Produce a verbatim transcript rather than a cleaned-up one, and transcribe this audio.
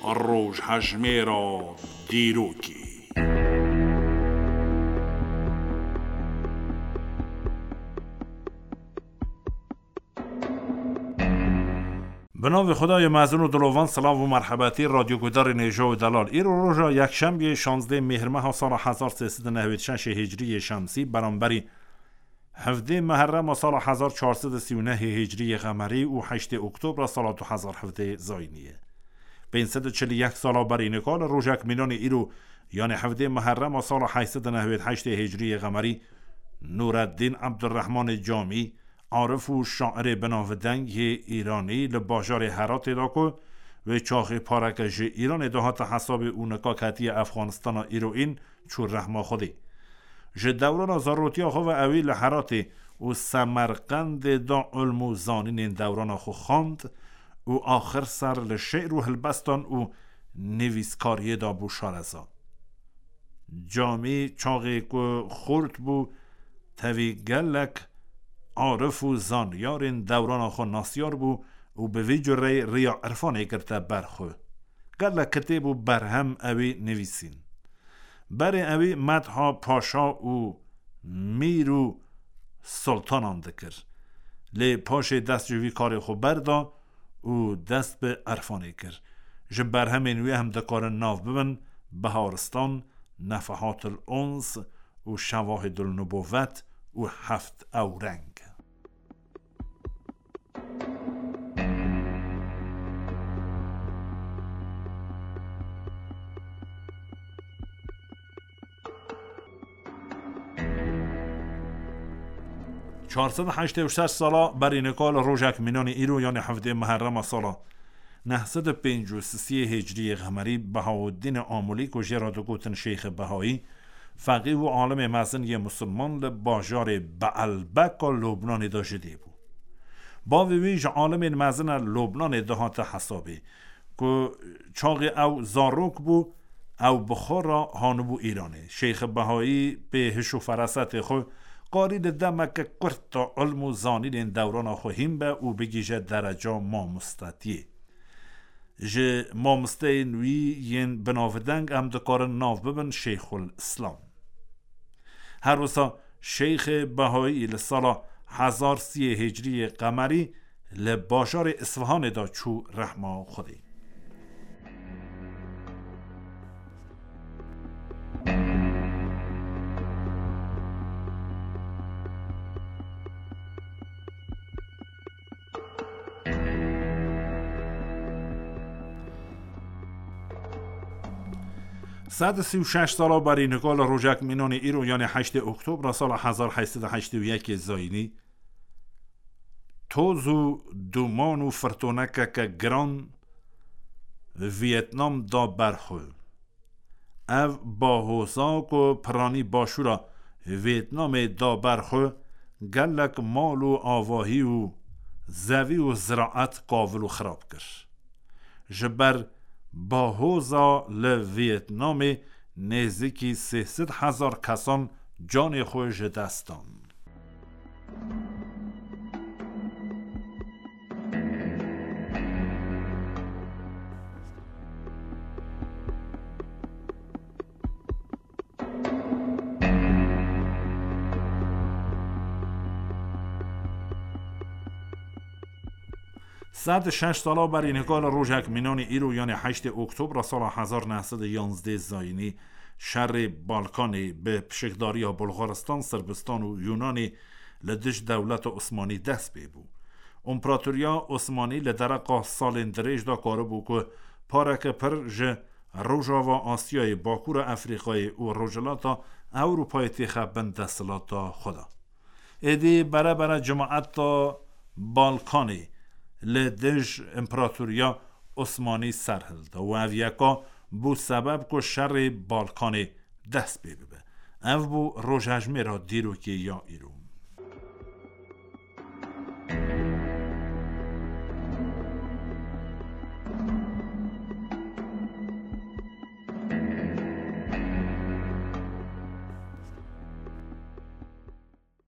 Rojhejmêra dîrokê. Bi navê Xwedayê mezin û dilovan, silav û merhebetî radyogudarên hêja û delal. Îro roja yekşembiyê şanzdeh mêhrmeha sala hezar sê sed û nehwêd şeşê hicrî yê şemsî, beramberî hevdê meherrema sala hezar çar sed û sî û nehê hicrî yê qemerî û heştê oktobra sala du hezar hevdeh zayînî ye. Pênc sed û çil û yek sala berî nika li rojek mînanê îro, yanê hevdê meherrema sala heşt sed û nehwêd heştê hicrî yê qemerî, Nureddîn Ebdurrehmanê Camî, arif û şairê binavdeng yê Îranî li bajarê Heratê de ku wê çaxê pareke ji Îranê de hate hesabê û nika ketiye Efxanistana îroîn, çû rehma Xwedê. Ji dewrana zarotiya xwe ve ewî li Heratê û Semerqendê de ilm û zanînên dewrana xwe xwend û axir ser li şi'r û helbestan û nivîskariyê de bû şareza. Camî çaxê ku xurt bû, tevî gelek arif û zanyarên dewrana xwe nasyar bû û bi vî cureyî riya irfanê girte ber xwe. Gelek kitêb û berhem ewî nivîsîn. Berê ewî medha paşa û mîr û sultanan dikir. Lê paşê dest ji vî karê xwe berda û dest bi erfanê kir. Ji berhemên wî em dikarin nav bibin Beharistan, Nefehatil Uns û Şewahidul Nubuvet û Heft Ewreng. Çar sed û heştê û şeş sala berî nika li rojek mînanî îro, yanê hevdê meherrema sala neh sed û pêncî û sisiyê hicrî yê qemerî, Behauddînê Amûlî ku jê re digotin Şeyxê Behayî, feqîh û alimê mezin yê misilman li bajarê Beelbeka Lubnanê de ji dê bû. Bavê wî ji alimên mezin a Lubnanê dihate hesabê, ku çaxê ew zarok bû, ew bi xwe re hanibû Îranê. Şeyxê Behayî pê hiş û ferasetê xwe qarî li demeke kurt de ilm û zanînên dewrana xwe hîn be û bigihîje dereca mamostetiyê. Ji mamosteyên wî yên binavdeng em dikarin nav bibin Şeyxul Îslam. Her wisa Şeyxê Behayî li sala hezar siyê hicrî yê qemerî li bajarê Isfihanê de çû rehma Xwedê. Sed û sî û şeş sala berî nika li rojek mînanê îro, yanê heştê Oktobra sala hezar heşt sed û heştê û yekê zayînî, toz û duman û firtonekeke giran Viyetnam da ber xwe. Ev bahoza ku piranî başûra Viyetnamê da ber xwe, gelek mal û avahî û zevî û ziraet kavil û xirab kir. Ji ber bahoza li Viyetnamê nêzîkî sê sed hezar kesan canê xwe ji dest dan. Sed û şeş sala berî nika li rojek mînanî îro, yanê heştê Oktobra sala hezar neh sed û yanzdeh zayînî, şerê Balkanê bi pişikdariya Bulgaristan, Sirbistan û Yunanê li dij dewleta Osmanî dest pê bû. Împaratoriya Osmanî li dereqa salên dirêj de karibû ku pareke pir ji Rojava Asyayê, Bakûra Efrîqayê û Rojhilata Ewropayê têxe bin desthilata xwe de. Êdî bere bere cimaeta Balkanê li dij Împaratoriya Osmanî ser hilda û ev yeka bû sebeb ku şerê Balkanê dest pê bibe. Ev bû rojhejmêra dîrokê ya îro.